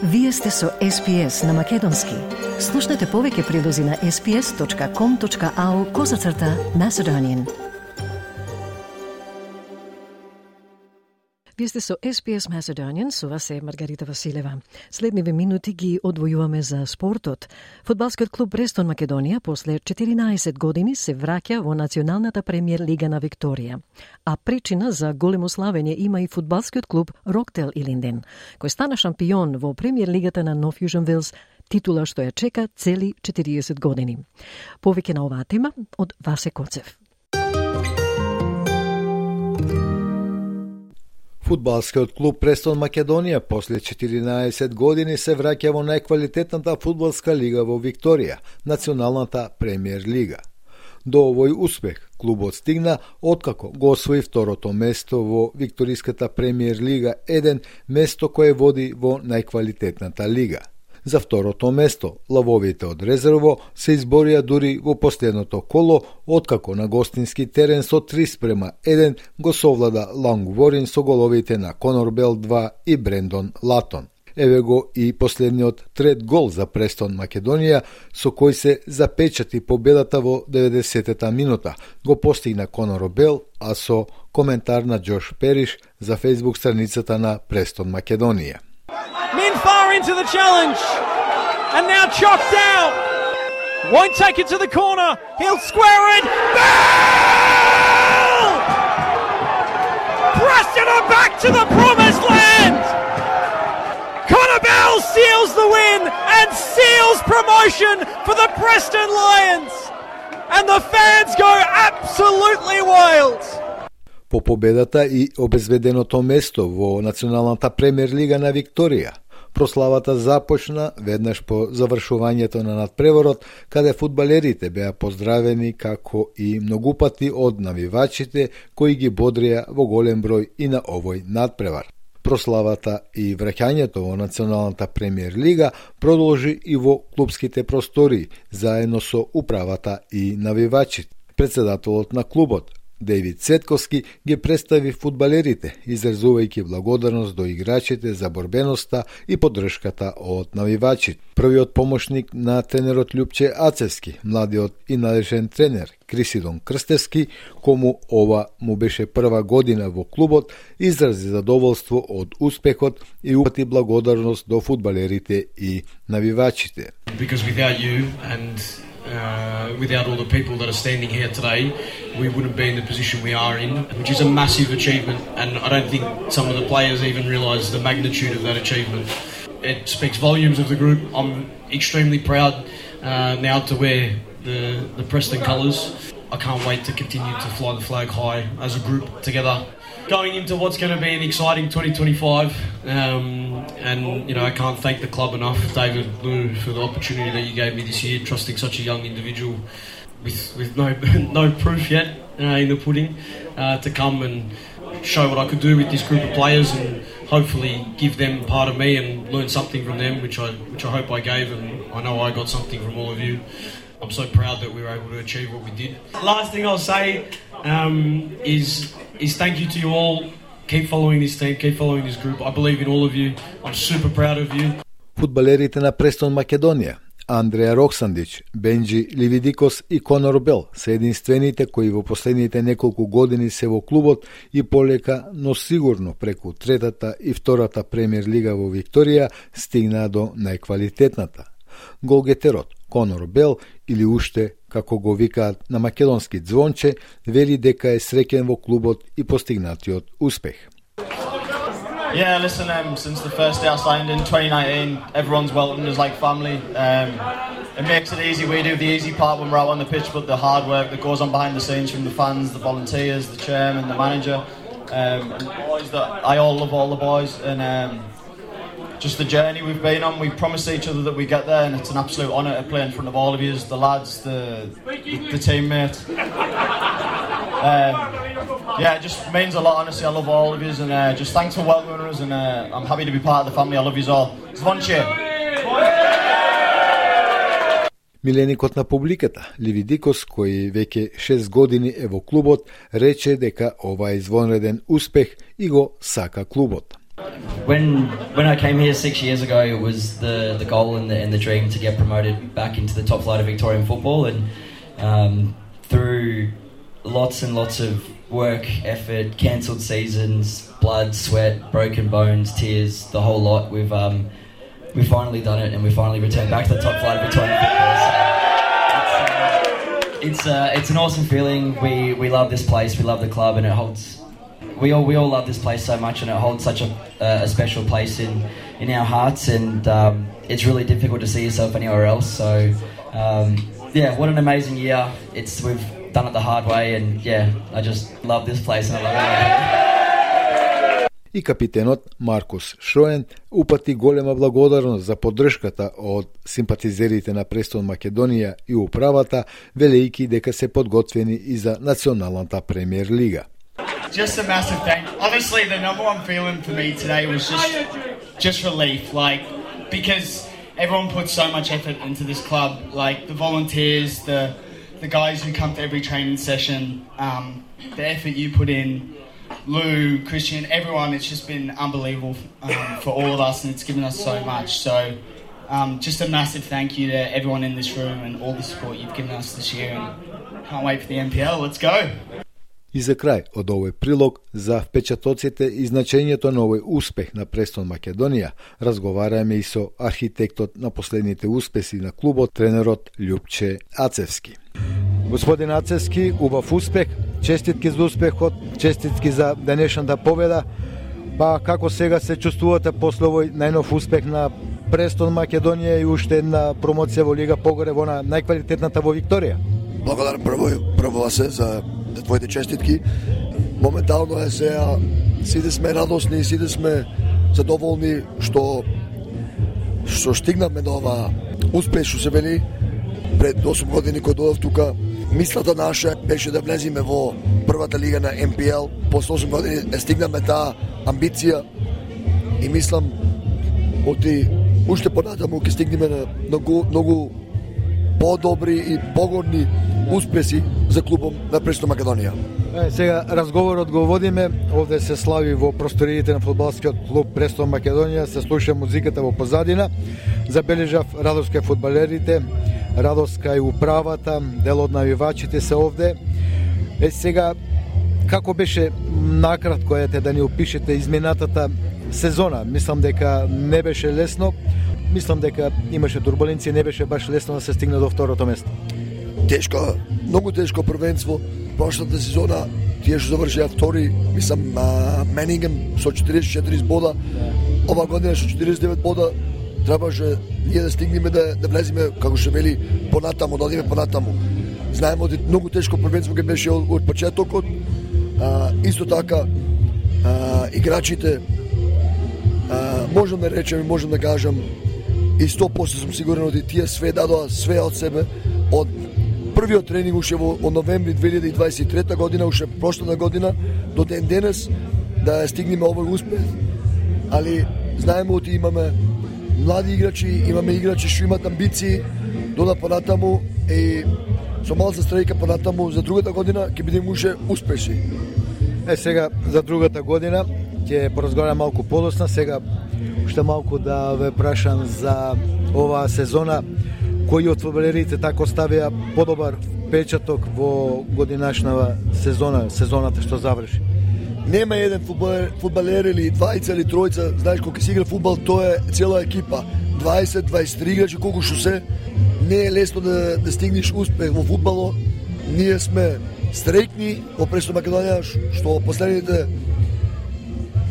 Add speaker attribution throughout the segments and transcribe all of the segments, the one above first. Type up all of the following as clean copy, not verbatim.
Speaker 1: Вие сте со SPS на Македонски. Слушнете повеќе прилози на sps.com.au/Macedonian. Вие сте со SPS Macedonian, со вас е Маргарита Василева. Следниве минути ги одвојуваме за спортот. Фудбалскиот клуб Престон Македонија после 14 години се враќа во Националната премиер лига на Викторија. А причина за големо славење има и фудбалскиот клуб Роктел Илинден, кој стана шампион во премиер лигата на Нов Јужен Велс, титула што ја чека цели 40 години. Повеќе на оваа тема од Васе Коцев.
Speaker 2: Фудбалскиот клуб Престон Македонија после 14 години се враќа во најквалитетната фудбалска лига во Викторија, Националната премиер лига. До овој успех клубот стигна откако го освои второто место во Викториската премиер лига 1, место кое води во најквалитетната лига. За второто место, лавовите од резерво се изборија дури во последното коло, откако на гостински терен со 3:1 го совлада Лангворин со головите на Конор Бел 2 и Брендон Латон. Еве го и последниот трет гол за Престон Македонија, со кој се запечати победата во 90-та минута. Го постигна Конор Бел, а со коментар на Джош Периш за Facebook страницата на Престон Македонија.
Speaker 3: Min far into the challenge, and now chopped out. Won't take it to the corner. He'll square it. Bell! Preston are back to the promised land. Connor Bell seals the win and seals promotion for the Preston Lions. And the fans go absolutely wild.
Speaker 2: По победата и обезведеното место во Националната премиер лига на Викторија, прославата започна веднаш по завршувањето на надпреворот, каде фудбалерите беа поздравени како и многупати од навивачите кои ги бодрија во голем број и на овој надпревар. Прославата и враќањето во Националната премиер лига продолжи и во клубските простори, заедно со управата и навивачите. Председателот на клубот, Дејвид Цетковски, ги представи фудбалерите, изразувајќи благодарност до играчите за борбеноста и поддршката од навивачите. Првиот помошник на тренерот Љупче Ацевски, младиот и надежен тренер Крисидон Крстевски, кому ова му беше прва година во клубот, изрази задоволство од успехот и упати благодарност до фудбалерите и навивачите.
Speaker 4: Because without you and without all the people that are standing here today, we wouldn't be in the position we are in, which is a massive achievement, and I don't think some of the players even realise the magnitude of that achievement. It speaks volumes of the group. I'm extremely proud now to wear the Preston colours. I can't wait to continue to fly the flag high as a group together. Going into what's going to be an exciting 2025, and I can't thank the club enough, David Lou, for the opportunity that you gave me this year, trusting such a young individual with no proof yet in the pudding to come and show what I could do with this group of players, and hopefully give them part of me and learn something from them, which I hope I gave, and I know I got something from all of you. I'm so proud that we were able to achieve what we did. Last thing I'll say is thank you to you all. Keep following this team, keep following this group. I believe in all of you. I'm super proud of you.
Speaker 2: Фудбалерите на Престон Македонија, Андреа Роксандич, Бенджи Ливидикос и Конор Бел се единствените кои во последните неколку години се во клубот и полека, но сигурно преку третата и втората премиер лига во Викторија стигнаа до најквалитетната. Голгетерот Конор Бел, или уште како го викаат на македонски Звонче, вели дека е среќен во клубот и постигнатиот успех.
Speaker 5: Yeah, listen, since the first day I signed in 2019, everyone's welcomed us like family. It makes it easy. We do the easy part when we're out on the pitch, but the hard work that goes on behind the scenes from the fans, the volunteers, the chairman, the manager, and the boys, I all love all the boys, and just the journey we've been on. We promise each other that we get there, and it's an absolute honour to play in front of all of you, the lads, the teammates. Yeah, it just means a lot, honestly. I love all of you, and just thanks for welcoming us, and I'm happy to be part of the family. I love you all. Zvonče!
Speaker 2: Миленикот на публиката, Ливидикос, кој веќе 6 години е во клубот, рече дека ова е извонреден успех и го сака клубот.
Speaker 6: when I came here 6 years ago, it was the goal and the dream to get promoted back into the top flight of Victorian football, and through lots and lots of work, effort, cancelled seasons, blood, sweat, broken bones, tears, the whole lot, we've finally done it, and we finally returned back to the top flight of Victorian football. So it's an awesome feeling. We love this place, we love the club, and it holds. We all love this place so much, and it holds such a special place in our hearts, and it's really difficult to see yourself anywhere else. So what an amazing year! We've done it the hard way, and I just love this place, and I love it.
Speaker 2: И капитенот Маркус Шоен упати голема благодарност за поддршката од симпатизерите на Престон Македонија и управата, велејќи дека се подготвени и за националната премиер лига.
Speaker 7: Just a massive thank you. Honestly, the number one feeling for me today was just relief, because everyone puts so much effort into this club, the volunteers, the guys who come to every training session, the effort you put in, Lou, Christian, everyone. It's just been unbelievable for all of us, and it's given us so much. So just a massive thank you to everyone in this room and all the support you've given us this year, and can't wait for the NPL. Let's go!
Speaker 2: И за крај од овој прилог за впечатоците и значењето на овој успех на Престон Македонија, разговараме и со архитектот на последните успеси на клубот, тренерот Љупче Ацевски. Господин Ацевски, убав успех, честитки за успехот, честитки за денешната победа. Па како сега се чувствувате после овој најнов успех на Престон Македонија и уште една промоција во Лига погоре во најквалитетната во Викторија?
Speaker 8: Благодарам прво се за твоите честитки. Моментално е сега, сите сме радосни, сите сме задоволни што стигнавме до ова успех, што се вели пред 8 години кога дојдов тука. Мислата наша беше да влеземе во првата лига на МПЛ. После 8 години стигнавме таа амбиција и мислам уште понатаму ќе стигнеме на многу по-добри и погорни успеси за клубом на Престон Македонија.
Speaker 2: Сега разговорот го водиме, овде се слави во просториите на фудбалскиот клуб Престон Македонија, се слуша музиката во позадина. Забележав радоска фудбалерите, радоска и управата, дел од навивачите се овде. Сега, како беше накратко да ни опишете изминатата сезона? Мислам дека не беше лесно. Мислам дека имаше турбуленција, не беше баш лесно да се стигне до второто место.
Speaker 8: Тешко, многу тешко првенство. Прошлата сезона тие што завршија втори, мислам, Менингем со 44 бода. Ова година со 49 бода требаше ние да стигнеме да влеземе, како што вели, понатаму, да одиме понатаму. Знаеме дека многу тешко првенство ќе беше од почетокот. Исто така играчите можам да речем и можам да кажам и 100% сум сигурен дека тие све дадоа све од себе од првиот тренинг уште во новември 2023 година, уште прошлата година до ден денес да стигнеме овој успех. Али знаеме дека имаме млади играчи, имаме играчи што имаат амбиции дода понатаму и со малку страјка понатаму за другата година ќе бидеме уште успешни.
Speaker 2: Сега за другата година ќе поразговарам малку подоцна. Сега уште малку да ве прашам за оваа сезона. Кои од фудбалерите така оставија подобар впечаток во годинашната сезоната што заврши?
Speaker 8: Нема еден фудбалер или двајца или тројца, знаеш кога се игра фудбал, тоа е цела екипа. 20-23 играчи колку што се, не е лесно да стигнеш успех во фудбало. Ние сме среќни во Престон Македонија што последните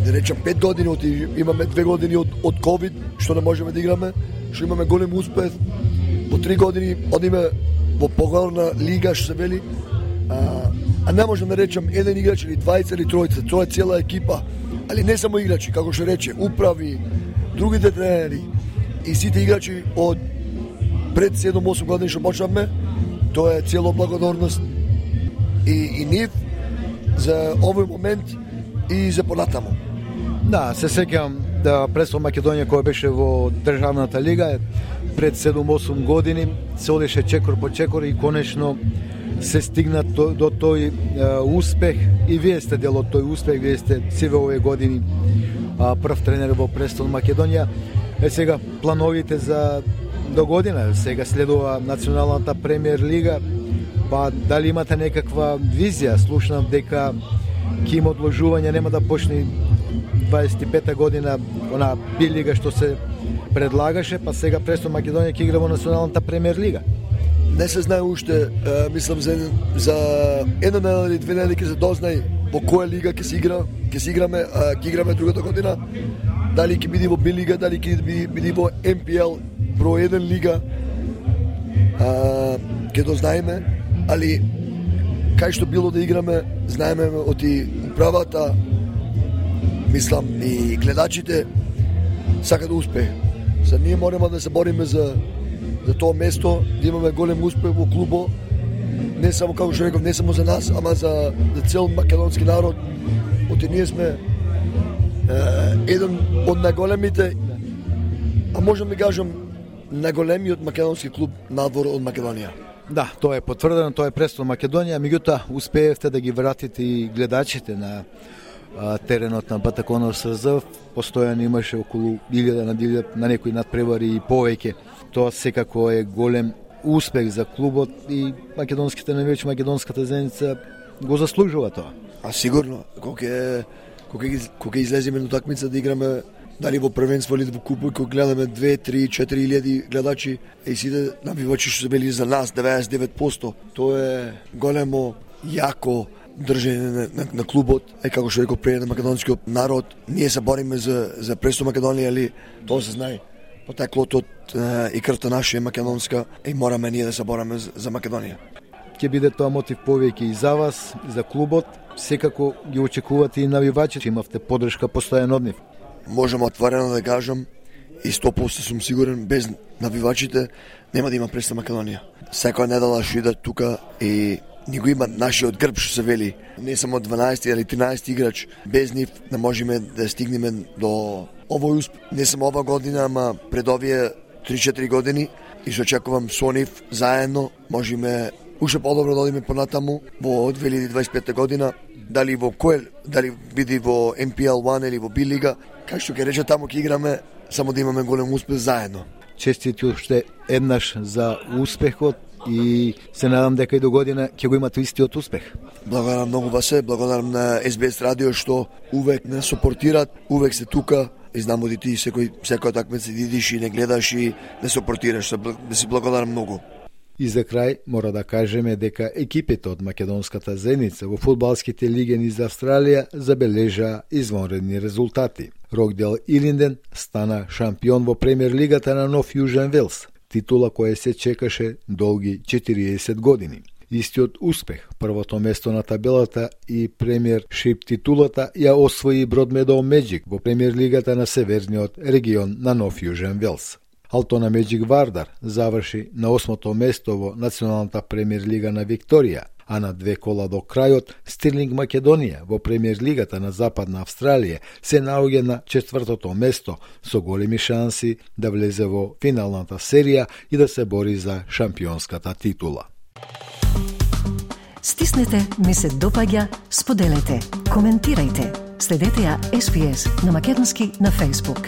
Speaker 8: да речем 5 години, имаме 2 години од ковид, што не можеме да играме, што имаме голем успех. Во 3 години одиме во погорна лига, што се вели, а не можам да речем еден играч или двајца или тројца, тоа е цела екипа, али не само играчи, како што рече, управи, другите тренери и сите играчи од пред 7-8 години што почнавме, тоа е цело благодарност и нив за овој момент и за понатаму.
Speaker 2: Да, се сеќавам да Престон Македонија која беше во државната лига пред 7-8 години се одеше чекор по чекор и конечно се стигна до тој успех и вие сте дел од тој успех, вие сте сиве овие години прв тренер во Престон Македонија. Сега плановите за до година, сега следува националната премиер лига, па дали имате некаква визија? Слушнав дека ќе има одложување, нема да почне 25-та година она билига што се предлагаше, па сега Престон Македонија ќе игра во националната премиер лига.
Speaker 8: Не се знае уште, мислам за една недела или две недели ќе се дознае во која лига ќе се играме, ќе играме другата година. Дали ќе биде во Би лига, дали ќе биде во МПЛ број 1 лига. Ќе дознаеме, али кај што било да играме, знаеме од управата, мислам и гледачите сака да успее. За ние мораме да се бориме за тоа место, да имаме голем успех во клубот, не само како што реков, не само за нас, ама за цел македонски народ. Оти ние сме еден од најголемите, а можам да кажам најголемиот македонски клуб надвор од Македонија.
Speaker 2: Да, тоа е потврдено, тоа е Престон Македонија, меѓутоа успеевте да ги вратите и гледачите на теренот на Батаконов СРЗ. Постојано имаше околу 1000 на некои надпревари и повеќе. Тоа секако е голем успех за клубот и македонските навијачи, македонската заедница го заслужува тоа.
Speaker 8: А сигурно, кога излеземе на утакмица да играме дали во првенство или во купот, кога гледаме 2, 3, 4 илјади гледачи и сите навивачи што се били за нас 99%, тоа е големо, јако држење на клубот, како што реков пред, на македонскиот народ. Ние се бориме за Престон Македонија, али тоа се знае. Потеклото и крвта наша е македонска и мораме ние да се бориме за Македонија.
Speaker 2: Ќе биде тоа мотив повеќе и за вас, и за клубот. Секако ги очекувате и навивачите, имавте поддршка постојано од нив.
Speaker 8: Можам отворено да кажам и 100% сум сигурен, без навивачите нема да има Престон Македонија. Секоја недела што идат тука и ни го има нашиот грб што се вели. Не само 12 или 13 играч, без нив не можеме да стигнеме до овој успех. Не само ова година, ама пред овие 3-4 години и што очекувам со нив заедно можеме уште подобро да одиме понатаму во 2025 година, дали биде во МПЛ 1 или во Би лига, кај што ќе рече таму ќе играме, само да имаме голем успех заедно.
Speaker 2: Честити уште еднаш за успехот и се надам дека и до година ќе го имате истиот успех.
Speaker 8: Благодарам многу Васе, благодарам на СБС радио што увек не сопортираат, увек се тука и знам оди ти секоја такмица идиш и не гледаш и не сопортираш, да си благодарам многу.
Speaker 2: И за крај мора да кажеме дека екипите од македонската заедница во фудбалските лиги низ Австралија забележаа извонредни резултати. Рокдел Илинден стана шампион во премиер лигата на Нов Јужен Велс, титула која се чекаше долги 40 години. Истиот успех, првото место на табелата и премиершип титулата ја освои Бродмедоу Меджик во премиер лигата на северниот регион на Нов Јужен Велс. Алтона Меджик Вардар заврши на 8-то место во националната премиер лига на Викторија, а на 2 кола до крајот Стирлинг Македонија во премиер лигата на Западна Австралија се наоѓа на 4-то место со големи шанси да влезе во финалната серија и да се бори за шампионската титула.
Speaker 1: Стиснете, ми се допаѓа, споделете, коментирајте. Следете ја SPS на македонски на Facebook.